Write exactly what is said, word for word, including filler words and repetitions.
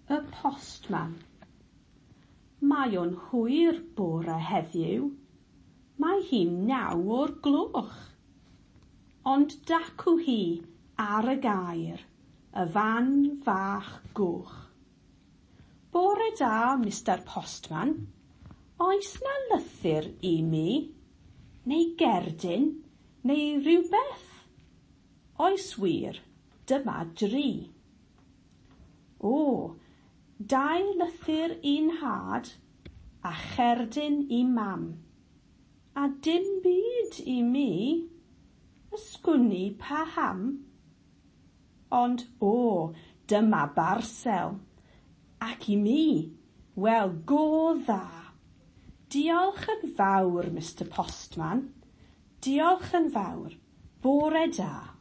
Y postman. Mae o'n hwyr bore heddiw. Mae hi'n naw o'r gloch. Ond dacw hi ar y gair, y fan fach goch. Bore da, Mistar Postman. Oes 'na lythyr i mi? Neu gerdyn? Neu rhywbeth? Oes wir, dyma dri. O, dau lythyr i 'nhad a cherdyn i mam. A dim byd i mi. Ysgwn i paham? Ond o, dyma barsel. Ac i mi, wel go dda. Diolch yn fawr, Mistar Postman. Diolch yn fawr. Bore da.